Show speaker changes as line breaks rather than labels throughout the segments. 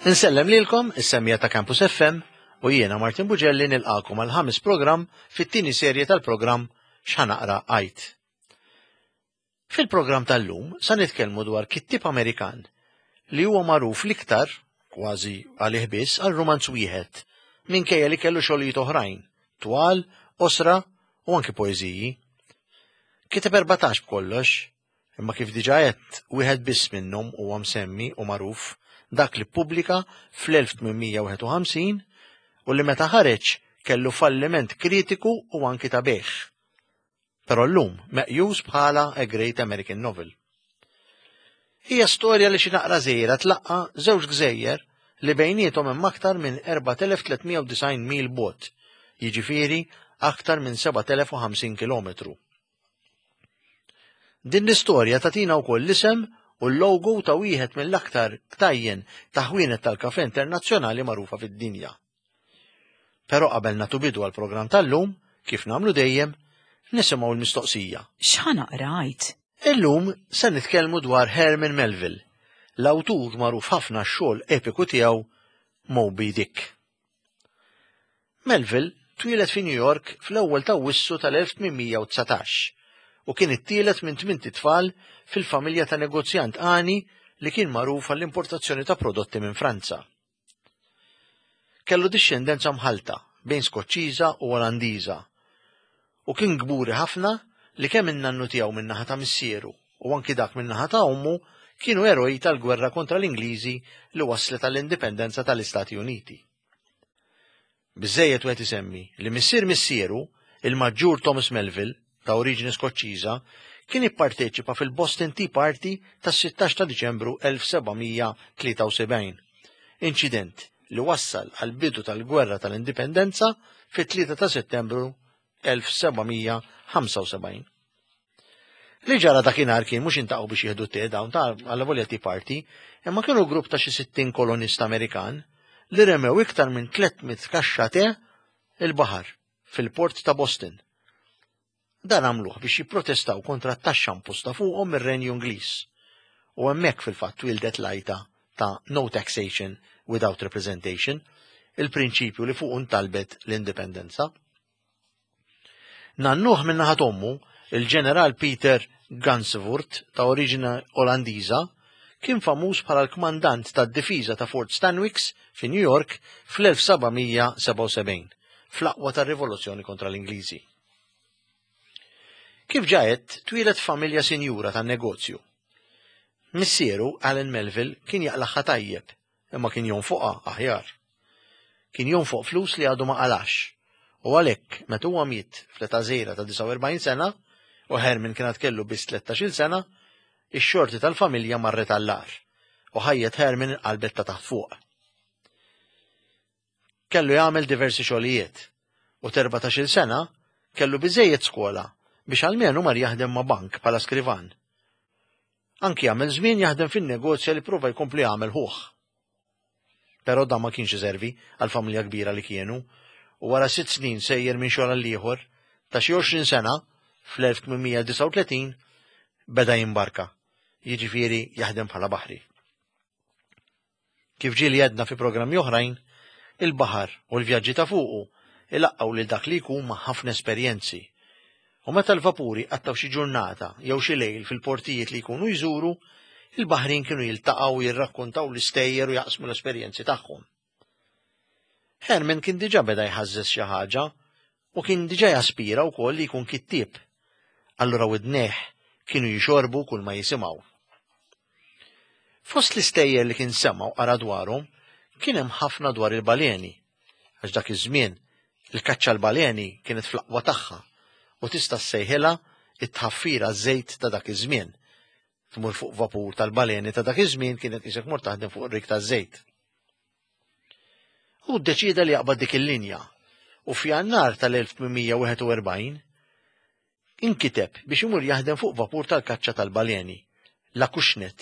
Insellem lilkom, is-semmija ta' Campus FM, u jiena Martin Bugelli nilqakom għal ħames programm fit-tieni serje tal-programm X'Ħanaqra Għid. Fil-programm tal-lum sa nitkellmu dwar kittieb Amerikan li huwa magħruf l-iktar, kważi għalih biss, għal rumanz wieħed, minkejja li kellu xogħlijiet oħrajn, twal, qosra u anki poeżiji. Kiteb 14 b'kollox, imma kif diġà għedt, wieħed biss minnhom huwa msemmi u magħruf, dak li ppubblika fl-1851 u li meta ħareġ kellu falliment kritiku u anki ta' bejgħ. Però llum meqjus bħala A Great American Novel. Hija storja li xi naqra żgħira tlaqqa' żewġ gżejjer li bejniethom hemm aktar minn 4390 mil bogħod, jiġifieri aktar minn 7050 kilometru. Din l-istorja tagħtina wkoll l-isem u l-logo ta' wieħed mill-aktar ktajjen ta' ħwienet tal-kafè internazzjonali magħrufa fid-dinja. Però qabel nagħtu bidu għall-programm tal-lum, kif nagħmlu dejjem, nisimgħu l-mistoqsija.
X'ħa naqra għid?
Illum se nitkellmu dwar Herman Melville, l-awtur magħruf ħafna għax-xogħol epiku tiegħu Moby Dick. Melville twieled fi New York fl-ewwel t'Awwissu tal-1819 u kien it-tielet minn tmint itfal fil-familja ta' negozjant għani li kien magħruf għall-importazzjoni ta' prodotti minn Franza. Kellu dixxendenza mħallta bejn Skoċċiża u Olandiża u kien kburi ħafna li kemm in-nannu tiegħu min-naħa ta' missieru u anki dak min-naħa ta' ommu kienu eroj tal-gwerra kontra l-Ingliżi li wasslet għall-indipendenza tal-Istati Uniti. Biżżejjed wieħed isemmi li missier missieru, il-Maġġur Thomas Melville, ta' oriġini Skoċċiża, kien ipparteċipa fil-Boston Tea Party tas-16 ta' Diċembru 1773, inċident li wassal għall-bidu tal-Gwerra tal-Indipendenza fit-3 ta' Settembru 1775. Li ġara dakinhar kien mhux intaqgħu biex jieħdu te dawn ta' allavolja Tea Party, imma kienu grupp ta' xi 60 kolonist Amerikan li remew iktar minn 300 kaxxa te il-baħar fil-port ta' Boston. Dan għamluh biex jipprotestaw kontra t-taxxa imposta fuqhom mir-Renju Ingliż. U hemmhekk fil-fatt twieldet l-għajta ta' no taxation without representation, il-prinċipju li fuqu ntalbet l-indipendenza. Nannuh min-naħa t'ommu, il-Ġeneral Peter Gansevoort ta' oriġini Olandiża, kien famuż bħala l-kmandant tad-difiża ta' Fort Stanwix fi New York fl-1777, fl-aqwa tar-rivoluzzjoni kontra l-Ingliżi. Kif ġa għedt, twieled f'familja sinjura tan-negozju. Missieru, Allan Melville, kien jaqlagħha tajjeb, imma kien jonfoqha aħjar. Kien jonfoq flus li għadu ma qalax, u għalhekk meta huwa miet fl-età żgħira ta' 49 sena u Herman kien għad kellu biss tlettax-il sena, ix-xorti tal-familja marret għall-agħar u ħajjet Herman inqalbet ta' taħt fuq. Kellu jagħmel diversi xogħlijiet u t'erbatax-il sena kellu biżżejjed skola biex almenu mar jaħdem ma' bank bħala skrivan. Anki għamel żmien jaħdem fin-negozja li prova jkompli jagħmel ħuh. Però dan ma kienx iservi għall-familja kbira li kienu u wara sitt snin sejjer minn xogħol għal ieħor, ta' xi 20 sena, fl-1839, beda jimbarka, jiġifieri jaħdem bħala baħri. Kif ġieli għedna fi programmi oħrajn, il-baħar u l-vjaġġi ta' fuqu ilaqqgħu lil dak li jkun ma' ħafna esperjenzi. U meta l-vapuri jqattgħu xi ġurnata jew xi lejl fil-portijiet li jkunu jżuru, il-baħrin kienu jiltaqgħu u jirrakkontaw l-istejjer u jaqsmu l-esperjenzi tagħhom. Herman kien diġà beda jħażżeż xi ħaġa u kien diġà jaspira wkoll li jkun kittieb. Allura widnejh kienu jixorbu kull ma jisimgħu. Fost l-istejjer li kien sema' u qara dwarhom kien hemm ħafna dwar il-baleni, għax dak iż-żmien il-kaċċa għall-baleni kienet fl-aqwa tagħha u tista' ssejħilha t-tħaffir għaż-żejt ta' dak iż-żmien. Tmur fuq vapur tal-baleni ta' dak iż-żmien kienet qisek mort taħdem fuq rig taż-żejt. Hu ddeċieda li jaqbad dik il-linja u f'Jannar tal-1841 inkiteb biex imur jaħdem fuq vapur tal-kaċċa tal-baleni, l-Acushnet,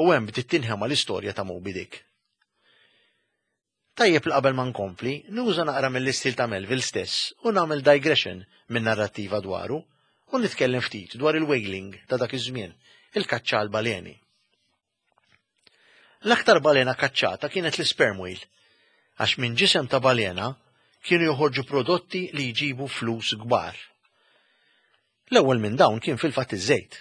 u hemm bdiet tinħema l-istorja ta' Moby Dick. Tajjeb li qabel ma nkompli, nuża naqra mill-istil ta' Melville stess u nagħmel digression min-narrattiva dwaru u nitkellem ftit dwar il-whaling ta' dak iż-żmien, il-kaċċa għall-baleni. L-aktar balena kaċċata kienet l-sperm whale, għax minn ġisem ta' balena kienu joħorġu prodotti li jġibu flus kbar. L-ewwel minn dawn kien fil-fatt iż-żejt.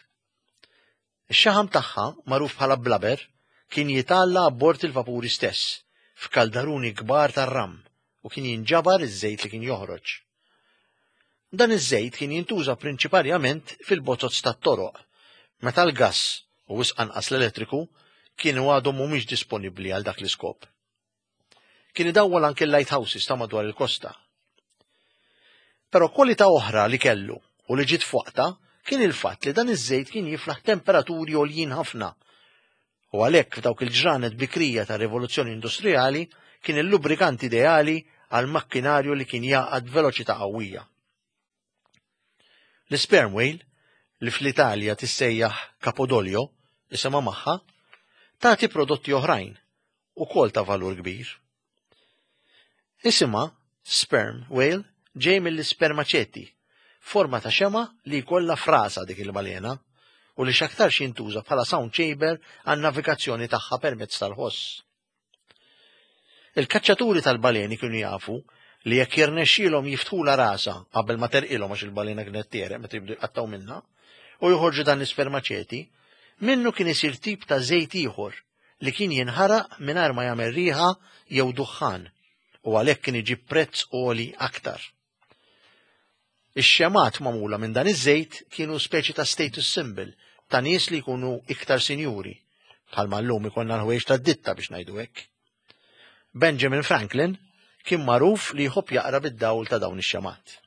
Ix-xaħam tagħha, magħruf bħala blubber, kien jitgħalla abbord il-vapuri stess, f'kaldaruni kbar tar-ram, u kien jinġabar iż-żejt li kien joħroġ. Dan iż-żejt kien jintuża prinċiparjament fil-bozoz tat-toroq, meta l-gass, u wisq anqas l-elettriku, kienu għadhom mhumiex disponibbli għal dak l-iskop. Kien idawwal anke l-lighthouses ta' madwar il-kosta. Però kwalità oħra li kellu u li ġiet f'waqtha kien il-fatt li dan iż-żejt kien jiflaħ temperaturi għoljin ħafna. U għalhekk f'dawk il-ġranet bikrija tar-rivoluzzjoni industrijali kien il-lubrikant ideali għal makkinarju li kien jagħqad b'veloċità qawwija. L-sperm whale, li fl-Italja tissejjaħ Capodoglio, isimha magħha, tagħti prodotti oħrajn, ukoll ta' valur kbir. Isimha sperm whale ġej mill-ispermaċeti, forma ta' xema li jkollha frasa dik il-balena u li x'aktarx jintuża bħala sound chamber għan-navigazzjoni tagħha permezz tal-ħoss. Il-kaċċaturi tal-baleni kienu jafu li jekk jirnexxielhom jiftħulha rasha qabel ma terqilhom għax il-balena kienet tiereq meta jibdu jqattgħu minnha u joħorġu dan l-ispermaċeti, minnu kien isir tip ta' żejt ieħor li kien jinħaraq mingħajr ma jagħmel riħa jew duħħan u għalhekk kien iġib prezz għoli aktar. Ix-xemgħat magħmula minn dan iż-żejt kienu speċi ta' status symbol ta' nies li jkunu iktar sinjuri, bħalma llum ikollna l-ħwejjeġ tad-ditta biex ngħidu hekk. Benjamin Franklin kien magħruf li jħobb jaqra bid-dawl ta' dawn ix-xemgħat.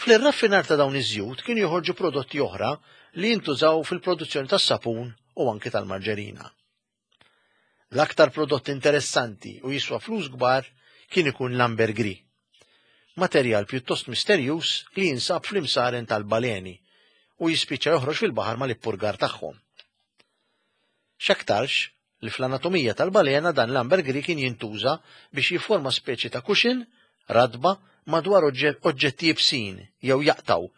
Fl-irraffinar ta' dawn iż-żjut kienu joħorġu prodotti oħra li jintużaw fil-produzzjoni tas-sapun u anki tal-marġerina. L-aktar prodott interessanti u jiswa flus kbar kien ikun l-ambergris. Materjal pjuttost misterjuż li jinsab fl-imsaren tal-baleni u jispiċċa joħroġ fil-baħar mal-ippurgar tagħhom. X'aktarx li fl-anatomija tal-balena dan l-ambergris kien jintuża biex jifforma speċi ta' cushion ratba madwar oġġetti iebsin jew jaqtgħu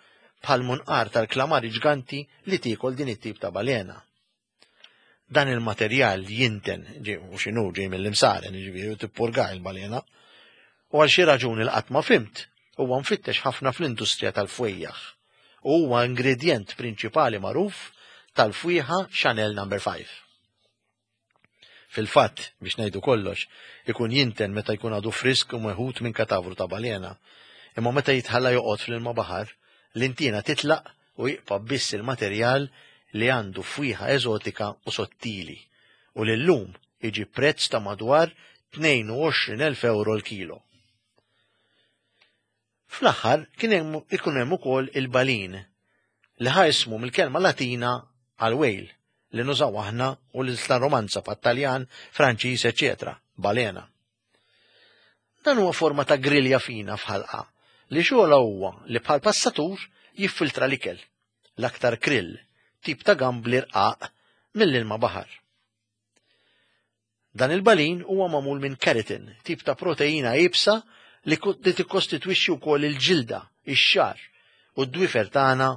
bħal munqar tal-klamari ġganti li tiekol din it-tip ta' balena. Dan il-materjal jinten, u x'inhu ġej mill-imsaren, jiġifieri u tippurgah il-balena. U għal xi raġuni li qatt ma fhimt, huwa mfittex ħafna fl-industrija tal-fwejjaħ u huwa ingredjent prinċipali magħruf tal-fwieħa Chanel Number 5. Fil-fatt, biex ngħidu kollox, ikun jinten meta jkun għadu frisk u meħud minn katavru ta' balena. Imma meta jitħalla joqgħod fl-ilma baħar, l-intiena titlaq u jibqa' biss il-materjal li għandu fwieħa eżotika u sottili u li llum iġib prezz ta' madwar 22,000 ewro l-kilo. Fl-aħħar kien hemm ikun hemm ukoll il-balin li ħa ismu mill-kelma Latina għal whale li nużaw aħna u l-ilsna Romanza bħat-Taljan, Franċiż, eċċetera, balena. Dan huwa forma ta' grilja fina f'ħalqa li xogħolha huwa li bħal passatur jiffiltra l-ikel, l-aktar krill, tip ta' gambli rqaq mill-ilma baħar. Dan il-balin huwa magħmul minn keratin, tip ta' proteina iebsa li tikkostitwixxi wkoll il-ġilda, ix-xagħar u d-dwiefer tagħna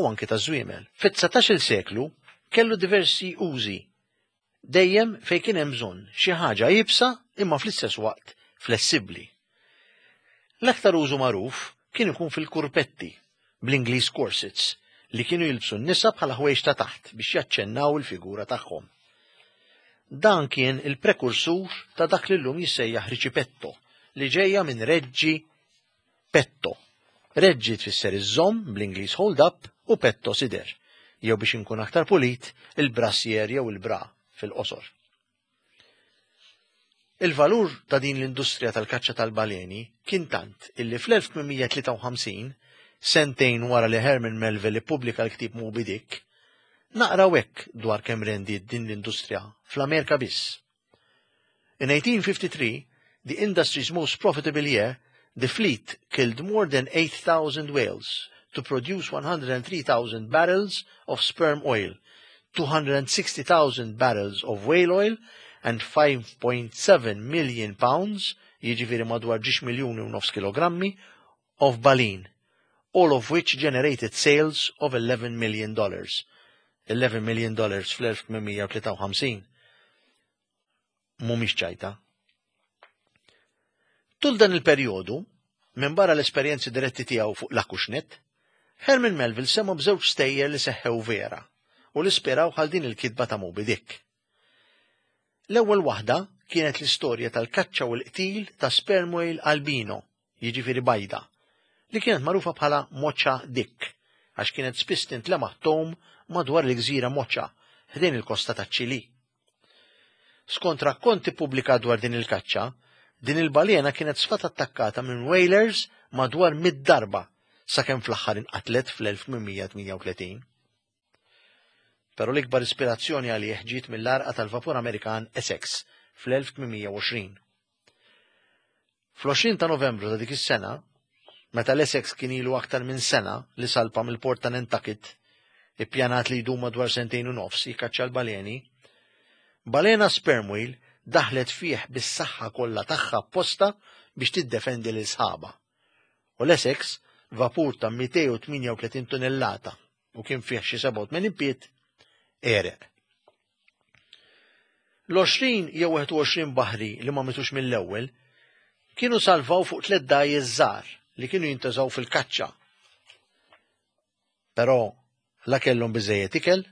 u anki taż-żwiemel. Fit-dsatax-il seklu kellu diversi użi, dejjem fejn kien hemm bżonn xi ħaġa iebsa imma fl-istess waqt flessibbli. L-aktar użu magħruf kien ikun fil-kurpetti, bl-Ingliż corsets, li kienu jilbsu n-nisa bħala ħwejjeġ ta' taħt biex jaċċennaw il-figura tagħhom. Dan kien il-prekursur ta' dak li llum jissejjaħ riċipetto, li ġejja minn reġġi petto. Reġġi tfisser iżżomm, bl-Ingliż hold up, u petto sider, jew biex inkun aktar pulit, il-brassier jew il-bra fil-qosor. Il-valur ta' din l-industrija tal-kaċċa tal-baleni kien tant illi fl-1853, sentejn wara li Herman Melville ippubblika l-ktieb Moby Dick, naqraw hekk dwar kemm rendiet din l-industrija fl-Amerika biss. In 1853, the industry's most profitable year, the fleet killed more than 8,000 whales to produce 103,000 barrels of sperm oil, 260,000 barrels of whale oil and 5.7 million pounds, jiġifieri madwar ġiex miljuni u nofs kilogrammi, of baleen, all of which generated sales of $11 million. $11 million fl-1853. mhumiex ċajta. Tul dan il-perjodu, minbarra l-esperjenzi diretti tiegħu fuq l-Acushnet, Herman Melville sema' b'żewġ stejjer li seħħew vera u li spiraw għal din il-kitba ta' Moby Dick. L-ewwel waħda kienet l-istorja tal-kaċċa u l-qtil ta' sperm whale albino, jiġifieri bajda, li kienet magħrufa bħala Mocha Dick għax kienet spiss tintlemaħ tgħum madwar il-gżira Mocha ħdejn il-kosta taċ-Ċilì. Skont rakkont ippubblikat dwar din il-kaċċa, din il-balena kienet sfat attakkata minn whalers madwar mid darba sakemm fl-aħħar inqatlet fl-1838. Però l-ikbar ispirazzjoni għalih ġiet mill-għarqa tal-vapur Amerikan Essex fl-1820. Fl-20 ta' Novembru ta' dik is-sena, meta l-Essex kien ilu aktar minn sena li salpa mill-port ta' Nantucket, ippjanat li jdum madwar sentejn u nofs jikkaċċa l-baleni, balena sperm whale daħlet fih bis-saħħa kollha tagħha apposta biex tiddefendi lil sħabha. U l-Essex, vapur ta' 238 tunellata u kien fih xi 87 pied, għereq. L-20 jew 21 baħri li ma mitux mill-ewwel kienu salvaw fuq tliet dgħajjes żgħar li kienu jintużaw fil-kaċċa. Però la kellhom biżejjed ikel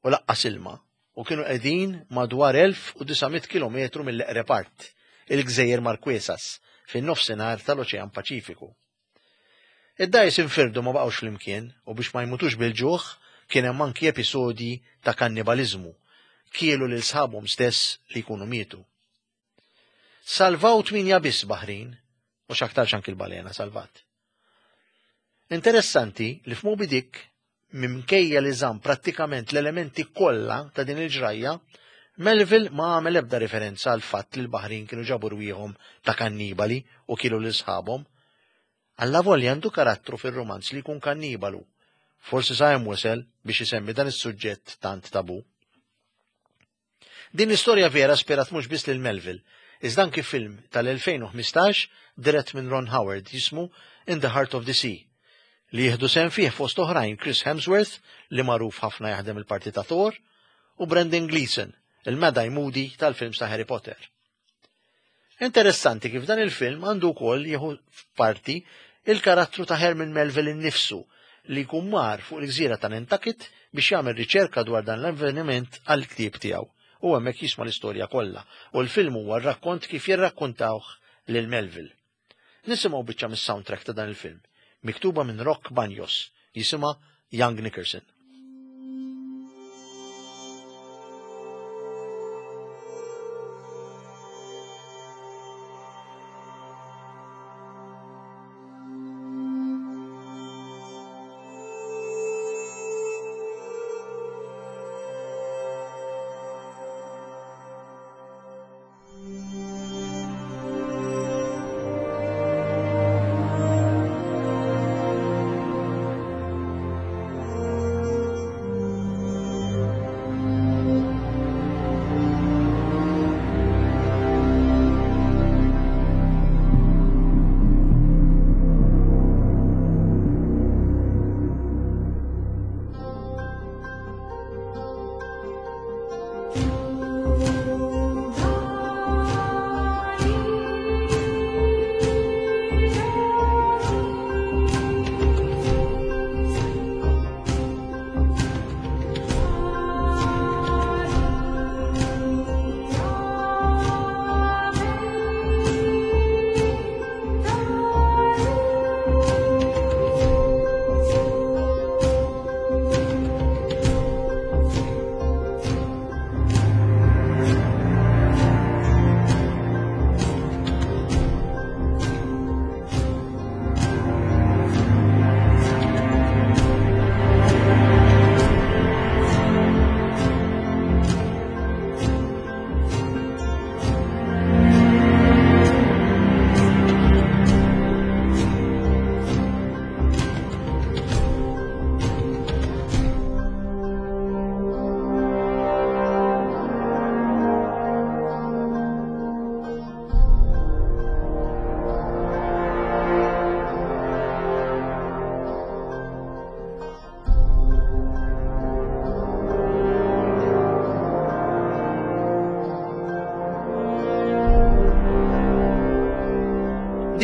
u laqqas ilma u kienu qegħdin madwar 1900 kilometru mill-eqreb art, il-Gżejjer Marquesas, fin-nofsinhar tal-Oċean Paċifiku. Id-dgħajjes infirdu ma baqgħux flimkien u biex ma jmutux bil-ġuħ kien hemm anki episodji ta' kannibaliżmu, kielu lil sħabhom stess li jkunu mietu. Salvaw tminja biss baħrin u x'aktarx anki l-balena salvat. Interessanti li f'Moby Dick minkejja li żamm prattikament l-elementi kollha ta' din il-ġrajja, Melville ma għamel ebda riferenza għal fatt li l-baħrin kienu ġabu rwieħhom ta' kannibali u kielu lil sħabhom. Allavolja għandu karattru fir-rumanz li jkun kannibalu. Forsi sa hemm wesel biex isemmi dan is-suġġett tant tabu. Din l-istorja vera spirat mhux biss lil Melville, iżda anki film tal-2015 dirett minn Ron Howard jismu In the Heart of the Sea, li jieħdu sehem fih fost oħrajn Chris Hemsworth li magħruf ħafna jaħdem il-parti ta' Thor u Brendan Gleeson, il-Mad Eye Moody tal-films ta' Harry Potter. Interessanti kif dan il-film għandu wkoll jieħu parti il-karattru ta' Herman Melville innifsu li jkun mar fuq il-gżira ta' Nantucket biex jagħmel riċerka dwar dan l-avveniment għall-ktieb tiegħu u hemmhekk jisma' l-istorja kollha u l-film huwa r-rakkont kif jirrakkuntawh lil Melville. Nisimgħu biċċa mis-soundtrack ta' dan il-film, miktuba minn Rock Banjos, jisimha Young Nickerson.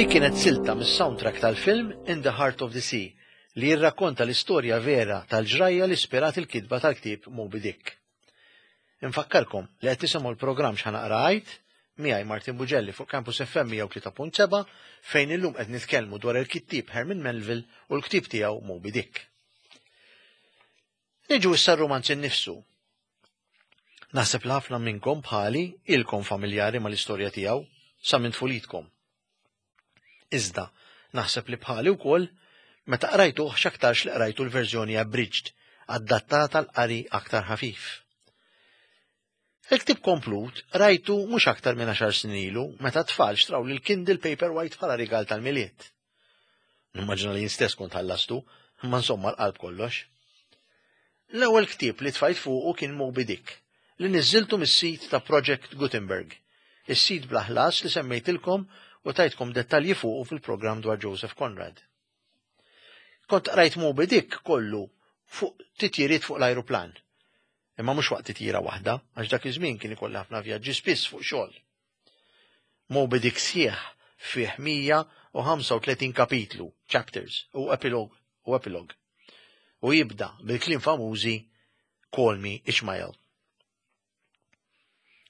Dik kienet silta mis-soundtrack tal-film In the Heart of the Sea li jirrakkonta l-istorja vera tal-ġrajja li ispirat il-kitba tal-ktieb Moby Dick. Infakkarkom li qed tisimgħu l-programm X'Ħa Naqra Għid miegħi Martin Bugelli fuq Campus FM 103.7 fejn illum qed nitkellmu dwar il-kittieb Herman Melville u l-ktieb tiegħu Moby Dick. Niġu issa r-rumanz innifsu. Naħseb li ħafna minnkom bħali ilkom familjari mal-istorja tiegħu sa minn tfulitkom. Iżda, naħseb li bħali wkoll meta qrajtuh x'aktarx li qrajtu l-verżjoni abridged, adattata l-qari aktar ħafif. Il-ktieb komplut rajtu mhux aktar minn għaxar snin ilu meta t-tfal xtraw lil Kindle Paperwhite bħala rigal tal-Milied. Nimmaġina li jien stess kont ħallastu, imma insomma l-qalb kollox. L-ewwel ktieb li tfajt fuqu kien Moby Dick, li niżżiltu mis-sit ta' Project Gutenberg, is-sit bla ħlas li semmejtilkom u tajtkom dettalji fuqu fil-programm dwar Joseph Conrad. Kont qrajt Moby Dick kollu fuq titjiriet fuq l-ajruplan. Imma mhux waqt titjira waħda, għax dak iż-żmien kien ikolli ħafna vjaġġi spiss fuq xogħol. Moby Dick sħiħ fih 135 kapitlu, chapters, u epilog, u epilog. U jibda bil-kliem famużi Call me Ishmael.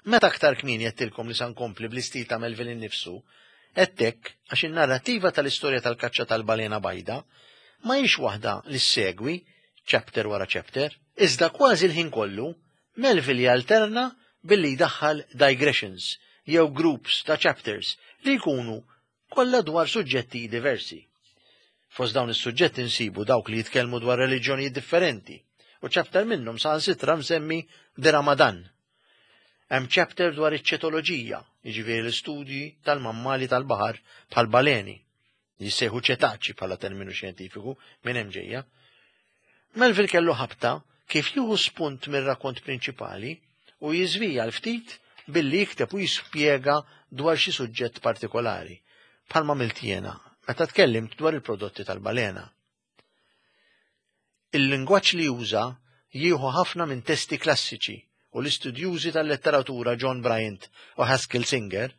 Meta aktar kmieni għedtilkom li sa nkompli bl-istil ta' Melville innifsu, għedt hekk għax in-narrattiva tal-istorja tal-kaċċa tal-balena bajda ma hix waħda li ssegwi chapter wara chapter, iżda kważi l-ħin kollu Melville jalterna billi jdaħħal digressions jew groups ta' chapters li jkunu kollha dwar suġġetti diversi. Fost dawn is-suġġetti nsibu dawk li jitkellmu dwar reliġjonijiet differenti, u chapter minnhom saħansitra msemmi The Ramadan. Hemm chapter dwar iċ-ċetoloġija, jiġifieri l-istudji tal-mammali tal-baħar bħal baleni, li jissejħu ċetaċi bħala terminu xjentifiku minn hemm ġejja. Melville kellu ħabta kif jieħu spunt mir-rakont prinċipali u jiżvija l-ftit billi jikteb u jispjega dwar xi suġġett partikolari, bħalma għamilt jiena meta tkellimt dwar il-prodotti tal-balena. Il-lingwaġġ li juża jieħu ħafna minn testi klassiċi u l-istudjużi tal-letteratura John Bryant u Haskell Singer,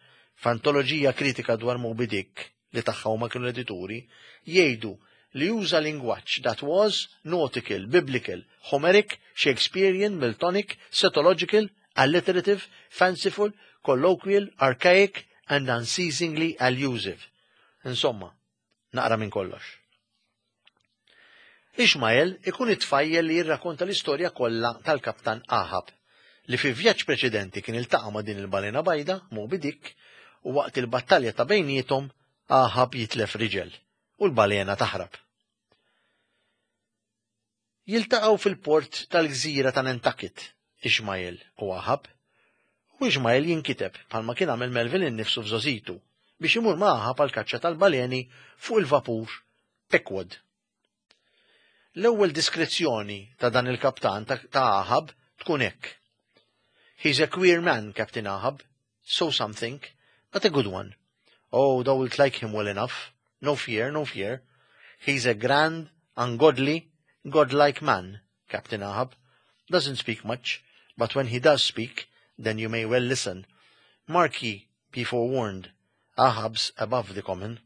f'antoloġija kritika dwar Moby Dick, li tagħha huma kienu l-edituri, jgħidu li juża lingwaġġ that was nautical, biblical, Homeric, Shakespearean, Miltonic, cetological, alliterative, fanciful, colloquial, archaic and unceasingly allusive. Insomma, naqra minn kollox. Ishmael ikun it-tfajjel li jirrakonta l-istorja kollha tal-kaptan Ahab, li fi vjaġġ preċedenti kien iltaqa' ma' din il-balena bajda, Moby Dick, u waqt il-battalja ta' bejniethom Ahab jitlef riġel u l-balena taħrab. Jiltaqgħu fil-port tal-gżira ta' Nantucket, Ishmael u Ahab, u Ishmael jinkiteb, bħalma kien għamel Melville innifsu f'żgħożitu, biex imur ma' Ahab għall-kaċċa tal-baleni fuq il-vapur Pequod. L-ewwel diskrizzjoni ta' dan il-kaptan ta' Ahab tkun hekk. He's a queer man, Captain Ahab, so some think, but a good one. Oh, thou wilt like him well enough. No fear, no fear. He's a grand, ungodly, godlike man, Captain Ahab. Doesn't speak much, but when he does speak, then you may well listen. Mark ye, be forewarned, Ahab's above the common.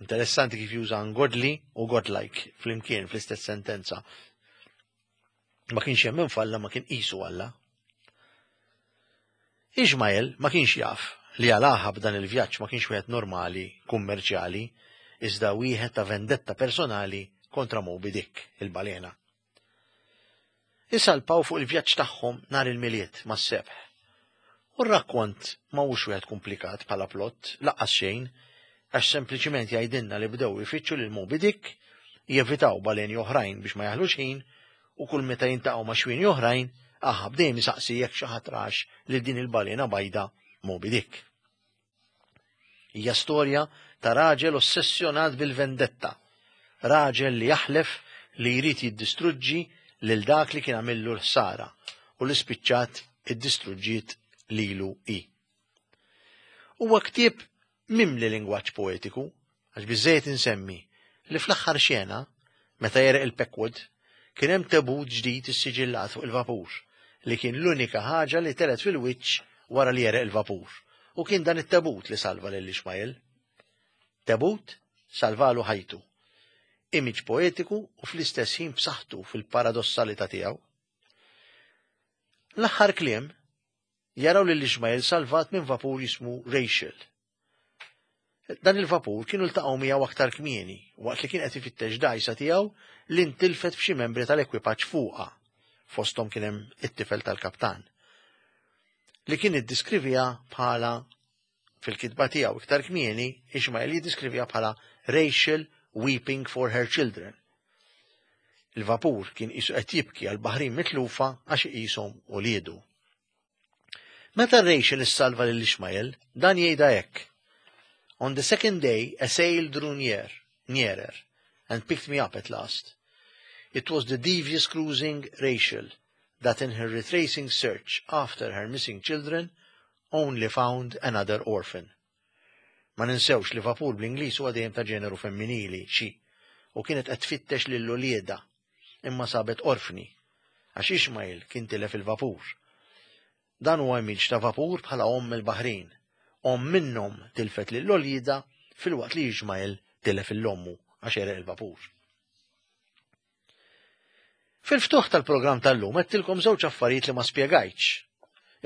Interessanti kif juża ungodly u godlike flimkien fl-istess sentenza. Ma kienx jemmen f'Alla ma kien qisu Alla. Ismael ma kienx jaf li għal Ahab dan il-vjaġġ ma kienx wieħed normali, kummerċjali, iżda wieħed ta' vendetta personali kontra Moby Dick, il-balena. Isalpaw fuq il-vjaġġ tagħhom nhar il-Milied mas-sebħ. U r-rakkont ma hux wieħed kumplikat bħala plott, laqqas xejn, għax sempliċiment jgħidilna li bdew ifittxu lil Moby Dick, jevitaw baleni oħrajn biex ma jaħlux ħin, u kull meta jintaqgħu ma' xwieni oħrajn, Ahab dejjem isaqsi jekk xi ħadd rax lil din il-balena bajda Moby Dick. Hija storja ta' raġel ossessjonat bil-vendetta, raġel li jaħlef li jrid jiddistruġġi lil dak li kien għamillu l-ħsara u li spiċċat iddistruġġiet lilu hi. Huwa ktieb mimli lingwaġġ poetiku, għax biżżejjed insemmi li fl-aħħar xena, meta jereq il-Pequod, kien hemm tebut ġdid issiġillat fuq il-vapur, li kien l-unika ħaġa li telgħet fil-wiċċ wara li jereq il-vapur, u kien dan it-tebut li salva lil Ishmael. Tebut salvalu ħajtu. Image poetiku u fl-istess ħin b'saħħtu fil-paradossalità tiegħu. L-aħħar kliem jaraw lil Ishmael salvat minn vapur jismu Rachel. Dan il-vapur kienu ltaqgħu miegħu aktar kmieni waqt li kien qed ifittex dgħajsa tiegħu li ntilfet b'xi membri tal-ekwipaġġ fuqha. Fosthom kien hemm it-tifel tal-kaptan. Li kien iddiskrivija bħala fil-kitba tiegħu iktar kmieni, Ishmael jiddiskrivija bħala Rachel weeping for her children. Il-vapur kien qisu qed jibki għal baħrin mitlufa għax iqishom uliedu. Meta Rachel issalva lil Ishmael, dan jgħidha hekk. On the second day, a sail drew near, nearer, and picked me up at last. It was the devious cruising Rachel that in her retracing search after her missing children only found another orphan. Ma ninsewx li vapur bl-Ingliż huwa dejjem ta' ġeneru femminili, she, u kienet qed tfittex lil uliedha, imma sabet orfni, għax Ishmael kien tilef il-vapur. Dan huwa image ta' vapur bħala omm il-baħrin. Omm minnhom tilfet lil uliedha filwaqt li Ishmael tilef lil ommu għax għereq il-vapur. Fil-ftuħ tal-programm tal-lum għedtilkom żewġ affarijiet li ma spjegajtx.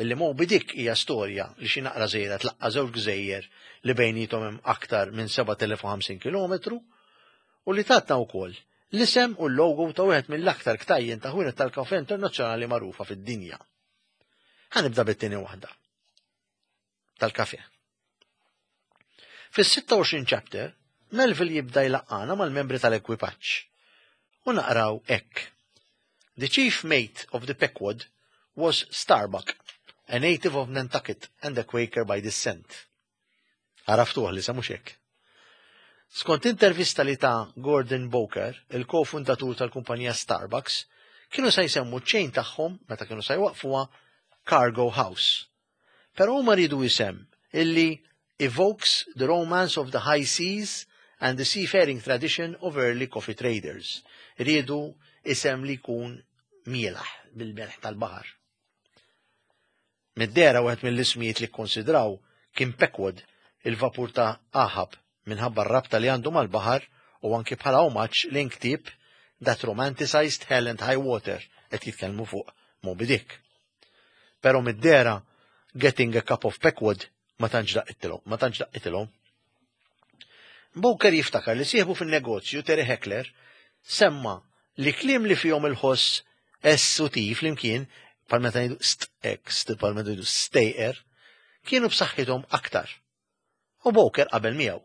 Illi Moby Dick hija storja li xi naqra żgħira tlaqqa' żewġ gżejjer li bejniethom hemm aktar minn 7050 kilometru u li tatna wkoll l-isem u l-logo ta' wieħed mill-aktar ktajjen ta' ħwienet tal-kafè internazzjonali magħrufa fid-dinja. Ħa nibda bit-tieni waħda. Tal-kafè. Fis-26 chapter, Melville jibda jlaqqana mal-membri tal-ekwipaġġ. U naqraw hekk. The chief mate of the Pequod was Starbuck, a native of Nantucket and a Quaker by descent. Għaraftuh li mhux hekk. Skont intervista li ta' Gordon Bowker, il-kofundatur tal-kumpanija Starbucks, kienu sa jsemmu ċ-chain tagħhom meta kienu sa jwaqfuha Cargo House. Però huma riedu isem illi evokes the romance of the high seas and the seafaring tradition of early coffee traders. Riedu isem li jkun mielaħ bil-melħ tal-baħar. Mid-dehra wieħed mill-ismijiet li kkonsidraw kien Pequod, il-vapur ta' Ahab, minħabba r-rabta li għandu mal-baħar u anki bħala omaġġ lejn ktieb That Romanticized Hell and High Water qed jitkellmu fuq Moby Dick. Però mid-dehra Getting a Cup of Pequod ma tantx daqqitilhom, ma tantx daqqitilhom. Bowker jiftakar li sieħbu fin-negozju Terry Heckler semma li kliem li fihom il-ħoss S u T flimkien, bħal meta ngħidu st x, bħal meta ngħidu stejqer, kienu b'saħħithom aktar. U Bowker qabel miegħu.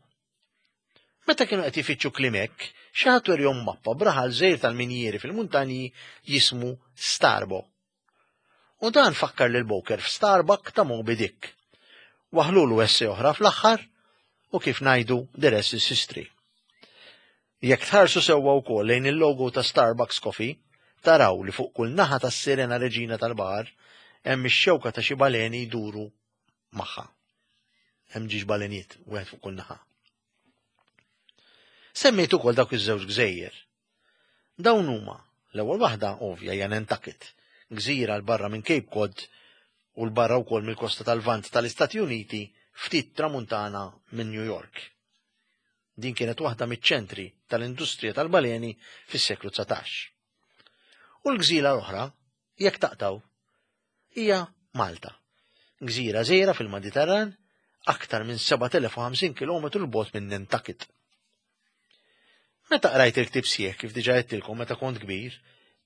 Meta kienu qed ifittxu kliem hekk, xi ħadd werjhom mappa b'raħal żgħir tal-minjieri fil-muntanji jismu Starbo. U dan fakkar lil Bowker f'Starbuck ta' Moby Dick. Waħlulu esse oħra fl-aħħar u kif ngħidu the rest is history. Jekk tħarsu sewwa wkoll lejn il-logo ta' Starbucks Coffee, taraw li fuq kull naħa tas-Sirena Reġina tal-Baħar hemm ix-xewka ta' xi baleni jduru magħha. Hemm ġiex baleniet, wieħed fuq kull naħa. Semmejt ukoll dawk iż-żewġ gżejjer. Dawn huma, l-ewwel waħda ovvja hija Nantucket, gżira 'l barra minn Cape Cod u 'l barra wkoll mill-kosta tal-Lvant tal-Istati Uniti ftit tramuntana minn New York. Din kienet waħda miċ-ċentri tal-industrija tal-baleni fis-seklu 19. U l-gżira l-oħra, jekk taqtgħu, hija Malta. Gżira żgħira fil-Mediterran, aktar minn 7050 km 'l bogħod minn Nantucket. Meta qrajt il-ktieb sħiħ kif diġà għedtilkom meta kont kbir,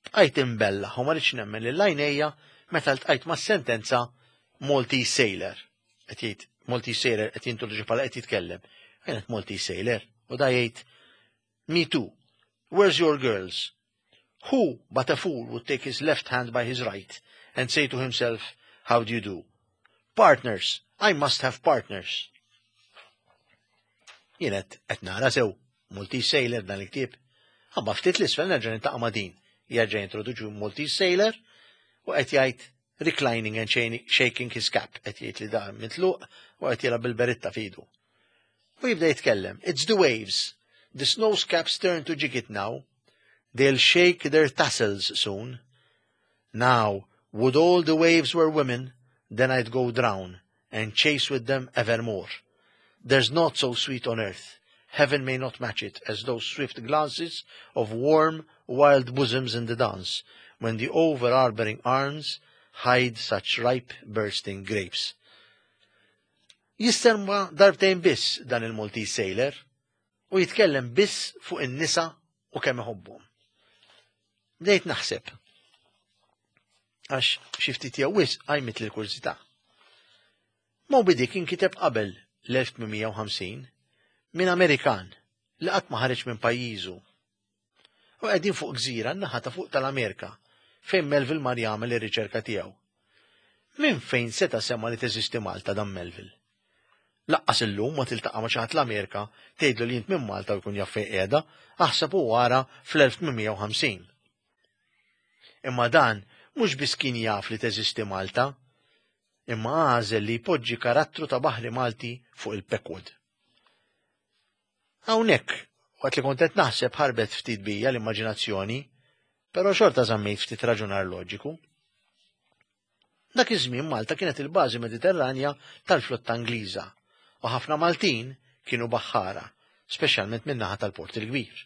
bqajt imbellaħ u ma ridtx nemmen lil għajnejja meta ltqajt mas-sentenza Maltese Sailor. Qed jgħid Maltese Sailor qed jintroduċi bħala qed jitkellem. Kienet Maltese Sailor u da jgħid Me too. Where's your girls? Who but a fool would take his left hand by his right and say to himself, How do you do? Partners, I must have partners. Jien qed nara sew, Maltese Sailor dan il-ktieb. Imma ftit 'l isfel nerġa' niltaqa' ma' din. Jerġa' jintroduċu Maltese Sailor u qed jgħid reclining and shaking his cap, qed jgħid li da mitluq u qed jilgħab bil-beritta f'idu. U jibda jitkellem, it's the waves. The snow caps turn to gigot now. They'll shake their tassels soon. Now, would all the waves were women, then I'd go drown and chase with them evermore. There's naught so sweet on earth. Heaven may not match it as those swift glances of warm, wild bosoms in the dance, when the over-arboring arms hide such ripe bursting grapes. Jisterma darbtejn biss dan il-Maltese Sailor u jitkellem biss fuq in-nisa u kemm iħobbhom. Bdejt naħseb. Għax xi ftit jew wisq qajmitli l-kurżità. Moby Dick inkiteb qabel l-1850 minn Amerikan li qatt ma ħareġ minn pajjiżu. U qegħdin fuq gżira n-naħa ta' fuq tal-Amerika fejn Melville mar jagħmel ir-riċerka tiegħu. Minn fejn seta' sema' li teżisti Malta dan Melville? Laqqas illum ma tiltaqa' ma' xi ħadd l-Amerika tgħidlu li int minn Malta u jkun jaf fejn qiegħda, aħseb u ara fl-1850. Imma dan mhux biss kien jaf li teżisti Malta, imma għażel li jpoġġi karattru ta' baħri Malti fuq il-Pequod. Hawnhekk, waqt li kont qed naħseb ħarbet ftit bija l-immaġinazzjoni, però xorta żammejt ftit raġunar loġiku. Dak iż-żmien Malta kienet il-bażi Mediterranja tal-flotta Ingliża u ħafna Maltin kienu baħħara, speċjalment min-naħa tal-Port il-Kbir.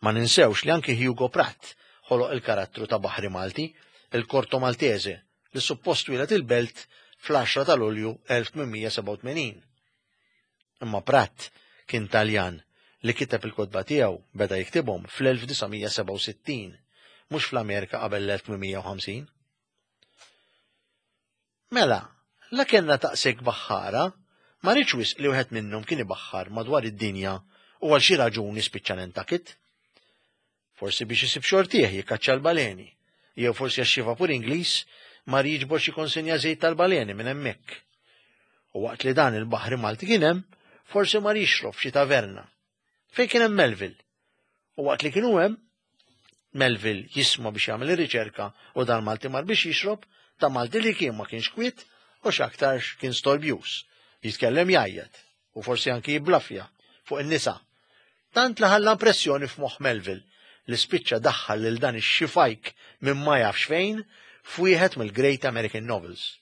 Ma ninsewx li anki Hugo Pratt ħoloq il-karattru ta' baħri Malti, il-Corto Maltese, li suppost twieled il-Belt fl-10 ta' Lulju 1887. Imma Pratt kien Taljan li kiteb il-kotba tiegħu beda jiktibhom fl-1967, mhux fl-Amerika qabel l-1850. Mela, la kellna taqsek baħħara, ma rridx wisq li wieħed minnhom kien ibaħħar madwar id-dinja u għal xi raġuni spiċċa Nantucket. Forsi biex isib xortih jikkaċċa l-baleni, jew forsi għax xi vapur Ingliż mar jiġbor xi konsenja żejt tal-baleni minn hemmhekk. U waqt li dan il-baħri Malti kien hemm, forsi mar jixrob f'xi taverna. Fejn kien hemm Melville. U waqt li kienu hemm, Melville jisma' biex jagħmel ir-riċerka u dan Malti mar biex jixrob, ta' Malti li kien ma kienx kwiet u x'aktarx kien storbjuż, jitkellem jgħajjat u forsi anki jibblafja fuq in-nisa. Tant li ħalla impressjoni f'moħħ Melville li spiċċa daħħal lil dan ix-xifajk minn ma jafx fejn f'wieħed mill-Great American Novels.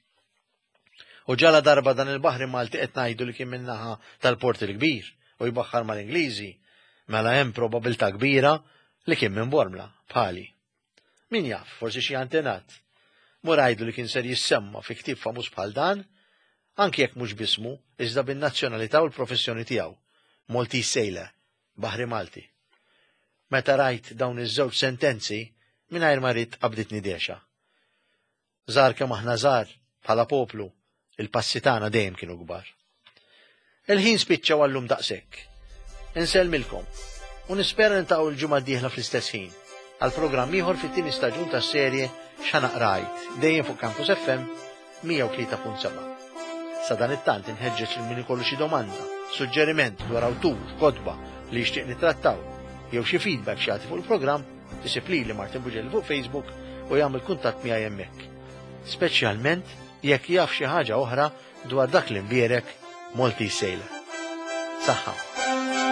U ġala darba dan il-baħri Malti qed ngħidu li kien min-naħa tal-Port il-Kbir u jbaħħar mal-Ingliżi, mela hemm probabilità kbira li kien minn Bormla, bħali. Min jaf, forsi xi antenat. Mur għidlu li kien ser jissemma fi ktieb famuż bħal dan, anki jekk mhux b'ismu, iżda bin-nazzjonalità u l-professjoni tiegħu, Maltese Sailor, Baħri Malti. Meta rajt dawn iż-żewġ sentenzi, mingħajr ma ridt qabditni dehxa. Żgħar kemm aħna żgħar, bħala poplu, il-passi tagħna dejjem kienu kbar. Il-ħin spiċċa u għallum daqshekk. Insellmilkom u nispera niltaqgħu l-ġimgħa d-dieħla fl-istess ħin għal programm ieħor fit-tieni staġun tas-serje X'Ħa Għid dejjem fuq Campus FM 103.7. Sa dan it-tant inħeġġeġ lil min ikollu xi domanda, suġġeriment dwar awtur, kotba li jixtieq nittrattaw, jew xi feedback x'jagħti fuq il-programm, Isib lili Martin Bugelli fuq Facebook u jagħmel kuntatt miegħi hemmhekk. Speċjalment jekk jaf xi ħaġa oħra dwar dak l-imbierek Maltese Sailor. Saħħa.